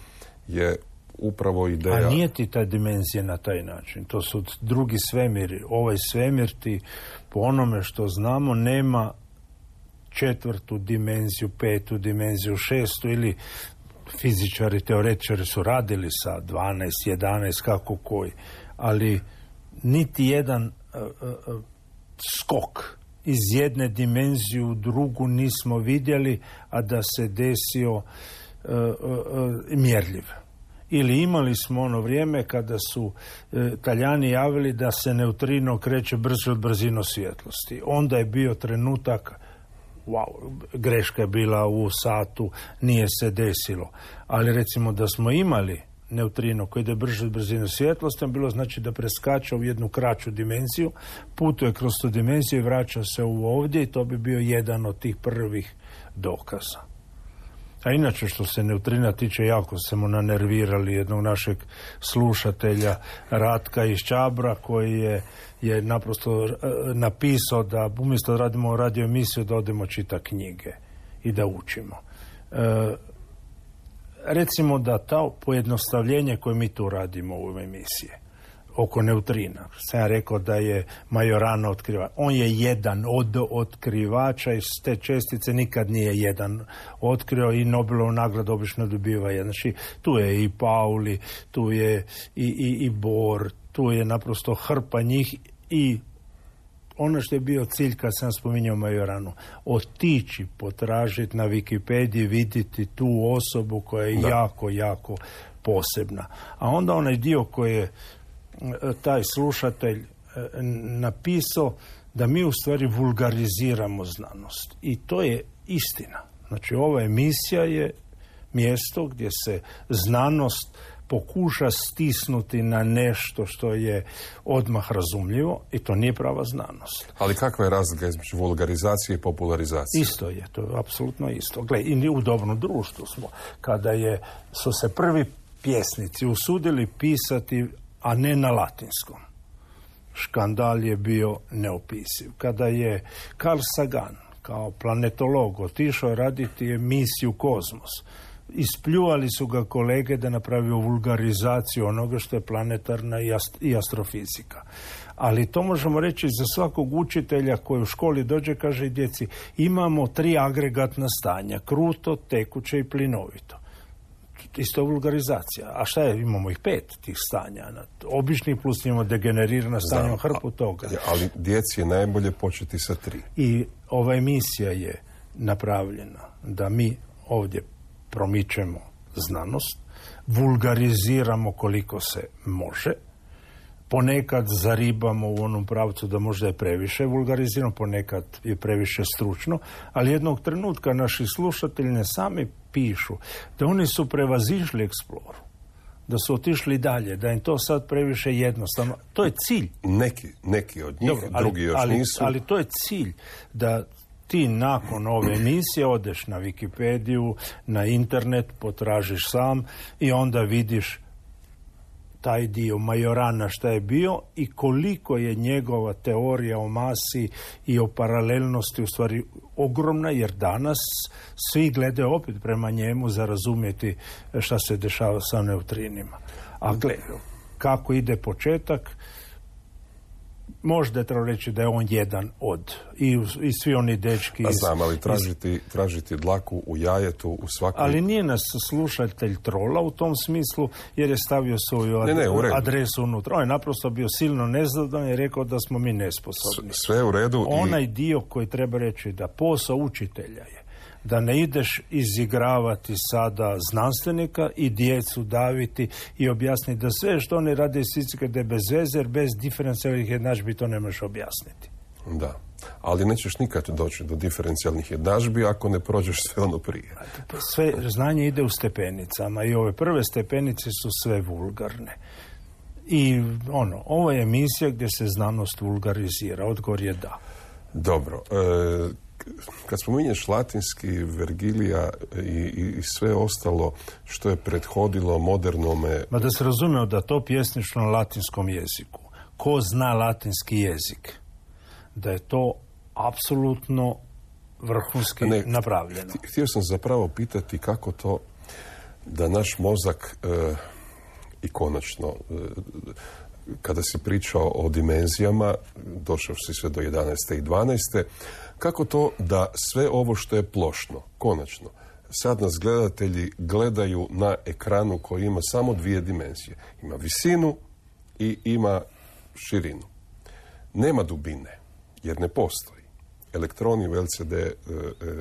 je upravo ideja... A nije ti ta dimenzija na taj način. To su drugi svemiri. Ovaj svemir ti, po onome što znamo, nema četvrtu dimenziju, petu dimenziju, šestu ili fizičari, teoretičari su radili sa dvanaest, jedanaest, kako koji, ali niti jedan uh, uh, skok iz jedne dimenzije u drugu nismo vidjeli, a da se desio uh, uh, uh, mjerljiv. Ili imali smo ono vrijeme kada su uh, Talijani javili da se neutrino kreće brže od brzine svjetlosti. Onda je bio trenutak wow, greška je bila u satu, nije se desilo. Ali recimo da smo imali neutrino koji ide brže od brzine svjetlosti, bilo znači da preskače u jednu kraću dimenziju, putuje kroz tu dimenziju i vraća se u ovdje i to bi bio jedan od tih prvih dokaza. A inače što se neutrina tiče, jako smo nanervirali jednog našeg slušatelja Ratka iz Čabra koji je, je naprosto uh, napisao da umjesto da radimo radio emisiju da odemo čita knjige i da učimo. Uh, recimo da to pojednostavljenje koje mi tu radimo u ovoj emisiji oko neutrina. Sam ja rekao da je Majorana otkrivač. On je jedan od otkrivača iz te čestice, nikad nije jedan otkrio i Nobelovu nagradu obično dobiva jedan. Znači, tu je i Pauli, tu je i, i, i Bohr, tu je naprosto hrpa njih i ono što je bio cilj kad sam spominjao Majoranu, otići, potražiti na Wikipediji, vidjeti tu osobu koja je da. jako, jako posebna. A onda onaj dio koji je taj slušatelj napisao da mi u stvari vulgariziramo znanost. I to je istina. Znači, ova emisija je mjesto gdje se znanost pokuša stisnuti na nešto što je odmah razumljivo i to nije prava znanost. Ali kakva je razlika između vulgarizacije i popularizacije? Isto je, to je apsolutno isto. Gle, i u dobrom društvu smo. Kada je, su se prvi pjesnici usudili pisati, a ne na latinskom, škandal je bio neopisiv. Kada je Carl Sagan kao planetolog otišao raditi emisiju Kozmos, ispljuvali su ga kolege da napravio vulgarizaciju onoga što je planetarna i, ast- i astrofizika. Ali to možemo reći za svakog učitelja koji u školi dođe, kaže djeci, imamo tri agregatna stanja, kruto, tekuće i plinovito. Isto vulgarizacija. A šta je? Imamo ih pet tih stanja. Običnih plus imamo degenerirana stanja, hrpu toga. Ali djeci je najbolje početi sa tri. I ova emisija je napravljena da mi ovdje promičemo znanost, vulgariziramo koliko se može, ponekad zaribamo u onom pravcu da možda je previše vulgarizirano, ponekad je previše stručno, ali jednog trenutka naši slušatelji ne sami pišu da oni su prevazišli eksploru, da su otišli dalje, da im to sad previše jednostavno. To je cilj. Neki, neki od njih, Dobro, ali, drugi još ali, nisu. Ali to je cilj da ti nakon ove emisije odeš na Wikipediju, na internet, potražiš sam i onda vidiš taj dio Majorana šta je bio i koliko je njegova teorija o masi i o paralelnosti u stvari ogromna, jer danas svi gledaju opet prema njemu za razumjeti šta se dešava sa neutrinima. A gledaj, kako ide početak, možda je treba reći da je on jedan od i, i svi oni dečki iz, znam, ali tražiti, iz, tražiti dlaku u jajetu u svakoj... Ali nije nas slušatelj trola u tom smislu, jer je stavio svoju ad, ne, ne, adresu unutra. On je naprosto bio silno nezadovoljan i rekao da smo mi nesposobni. S, sve u redu. Onaj i... dio koji treba reći da posao učitelja je Da ne ideš izigravati sada znanstvenika i djecu daviti i objasniti da sve što oni rade iz fizike da je bez veze, jer bez diferencijalnih jednadžbi to ne možeš objasniti. Da, ali nećeš nikad doći do diferencijalnih jednadžbi ako ne prođeš sve ono prije. Sve znanje ide u stepenicama i ove prve stepenice su sve vulgarne. I ono, ovo je emisija gdje se znanost vulgarizira, odgovor je da. Dobro, e, kad spominješ latinski, Vergilija i, i, i sve ostalo što je prethodilo modernome... Ma da se razumije da to pjesnično na latinskom jeziku. Ko zna latinski jezik? Da je to apsolutno vrhunski ne, napravljeno. Htio sam zapravo pitati kako to da naš mozak e, i konačno e, kada si pričao o dimenzijama, došao si sve do jedanaeste i dvanaeste, kako to da sve ovo što je plošno, konačno, sad nas gledatelji gledaju na ekranu koji ima samo dvije dimenzije. Ima visinu i ima širinu. Nema dubine, jer ne postoji. Elektroni u L C D... E,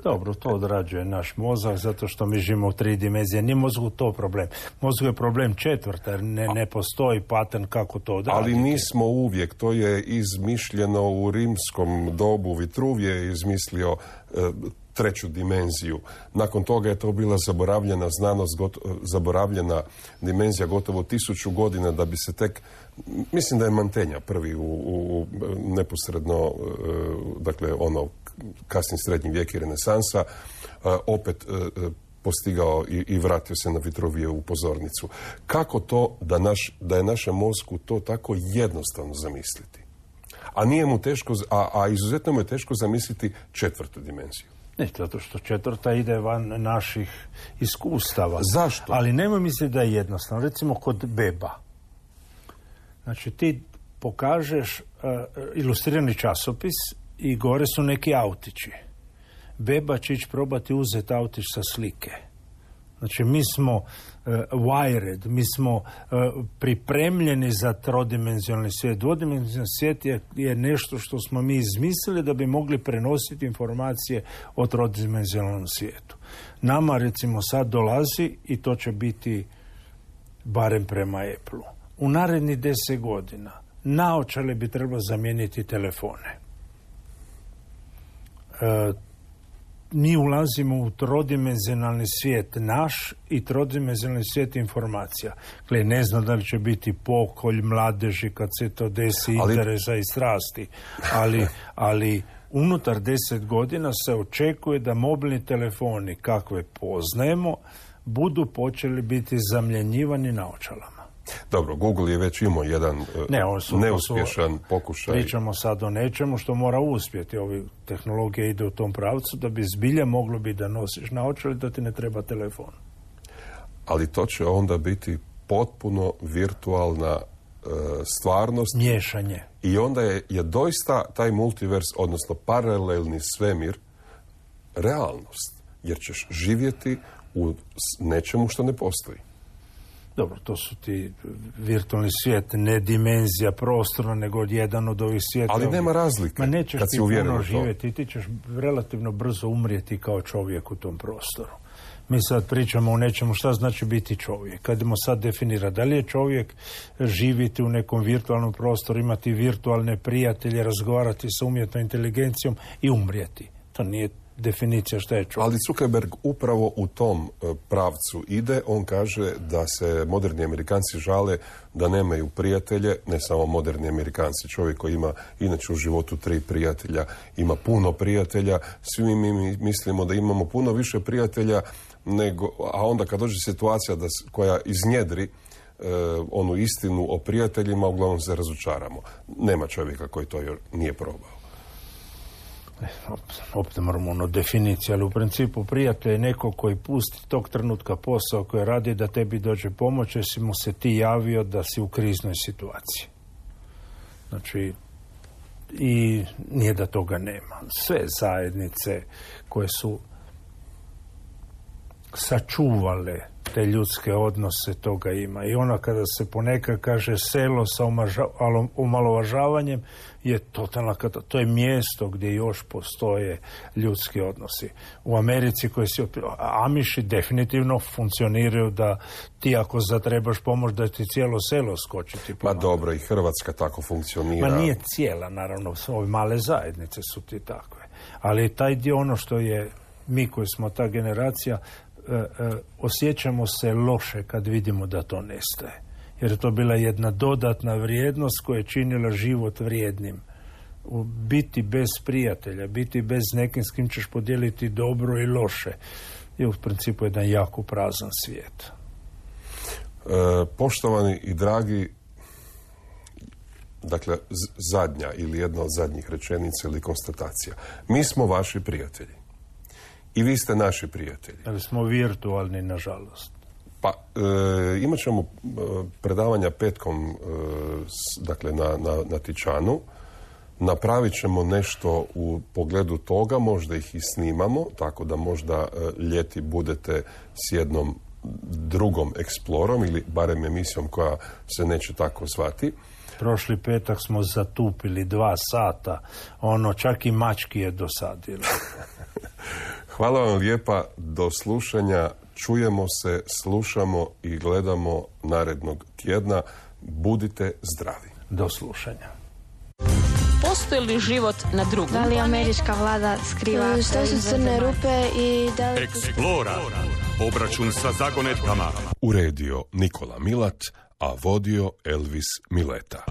Dobro, to odrađuje naš mozak, zato što mi živimo u tri dimenzije. Nije mozgu to problem. Mozgu je problem četvrta, jer ne, ne postoji pattern kako to odraditi. Ali nismo uvijek. To je izmišljeno u rimskom dobu. Vitruvije je izmislio e, treću dimenziju. Nakon toga je to bila zaboravljena znanost, got, zaboravljena dimenzija gotovo tisuću godina da bi se tek... Mislim da je Mantegna prvi u, u neposredno, dakle, ono, kasni srednji vijek i renesansa, opet postigao i, i vratio se na Vitruvije u pozornicu. Kako to da, naš, da je našem mozgu to tako jednostavno zamisliti? A nije mu teško, a, a izuzetno mu je teško zamisliti četvrtu dimenziju. Ne, zato što četvrta ide van naših iskustava. Zašto? Ali nemoj misliti da je jednostavno. Recimo kod beba. Znači ti pokažeš uh, ilustrirani časopis i gore su neki autići. Beba će ići probati uzeti autić sa slike. Znači mi smo uh, wired, mi smo uh, pripremljeni za trodimenzionalni svijet. Dvodimenzionalni svijet je, je nešto što smo mi izmislili da bi mogli prenositi informacije o trodimenzionalnom svijetu. Nama recimo sad dolazi i to će biti barem prema Apple-u. U narednih deset godina naočale bi trebalo zamijeniti telefone. E, mi ulazimo u trodimenzionalni svijet naš i trodimenzionalni svijet informacija. Gle, ne znam da li će biti pokolj mladeži kad se to desi, ali... interesa i strasti, ali, ali unutar deset godina se očekuje da mobilni telefoni kakve poznajemo budu počeli biti zamjenjivani naočalama. Dobro, Google je već imao jedan ne, su, neuspješan su, pokušaj. Pričamo sad o nečemu što mora uspjeti. Ovi tehnologija ide u tom pravcu da bi zbilja moglo biti da nosiš naočale da ti ne treba telefon. Ali to će onda biti potpuno virtualna e, stvarnost. Miješanje. I onda je, je doista taj multivers, odnosno paralelni svemir, realnost. Jer ćeš živjeti u nečemu što ne postoji. Dobro, to su ti virtualni svijet, ne dimenzija prostorna, nego jedan od ovih svijeta. Ali nema razlike. Ma nećeš ti puno živjeti, ti ćeš relativno brzo umrijeti kao čovjek u tom prostoru. Mi sad pričamo o nečemu šta znači biti čovjek. Kad idemo sad definirati da li je čovjek živjeti u nekom virtualnom prostoru, imati virtualne prijatelje, razgovarati sa umjetnom inteligencijom i umrijeti. To nije definicija šta je čovjek. Ali Zuckerberg upravo u tom pravcu ide. On kaže da se moderni Amerikanci žale da nemaju prijatelje, ne samo moderni Amerikanci. Čovjek koji ima inače u životu tri prijatelja, ima puno prijatelja. Svi mi mislimo da imamo puno više prijatelja, nego, a onda kad dođe situacija da, koja iznjedri e, onu istinu o prijateljima, uglavnom se razočaramo. Nema čovjeka koji to još nije probao. Opet moramo ono definiciju, ali u principu prijatelj je neko koji pusti tog trenutka posao koji radi da tebi dođe pomoć, jer si mu se ti javio da si u kriznoj situaciji. Znači, i nije da toga nema. Sve zajednice koje su sačuvale te ljudske odnose, toga ima. I ono kada se ponekad kaže selo sa omalovažavanjem je totalna katastrofa. To je mjesto gdje još postoje ljudski odnosi. U Americi koji si Amiši definitivno funkcioniraju da ti ako zatrebaš pomoć da ti cijelo selo skočiti. Pa dobro, i Hrvatska tako funkcionira. Ma nije cijela, naravno, ove male zajednice su ti takve. Ali taj dio, ono što je mi koji smo ta generacija, e, e, osjećamo se loše kad vidimo da to nestaje. Jer je to bila jedna dodatna vrijednost koja je činila život vrijednim. U biti bez prijatelja, biti bez nekim s kim ćeš podijeliti dobro i loše je u principu jedan jako prazan svijet. E, poštovani i dragi, dakle, z- zadnja ili jedna od zadnjih rečenica ili konstatacija. Mi smo vaši prijatelji. I vi ste naši prijatelji. Ali smo virtualni, nažalost. Pa, e, imat ćemo e, predavanja petkom, e, s, dakle, na, na, na Tičanu. Napravit ćemo nešto u pogledu toga, možda ih i snimamo, tako da možda e, ljeti budete s jednom drugom eksplorom ili barem emisijom koja se neće tako zvati. Prošli petak smo zatupili dva sata, ono čak i mački je dosadilo. Hvala vam lijepa, do slušanja, čujemo se, slušamo i gledamo narednog tjedna. Budite zdravi. Do slušanja. Postoji li život na drugom? Da li američka vlada skriva Što su crne rupe i da li... Eksplora. Obračun sa zagonetkama. Uredio Nikola Milat, a vodio Elvis Mileta.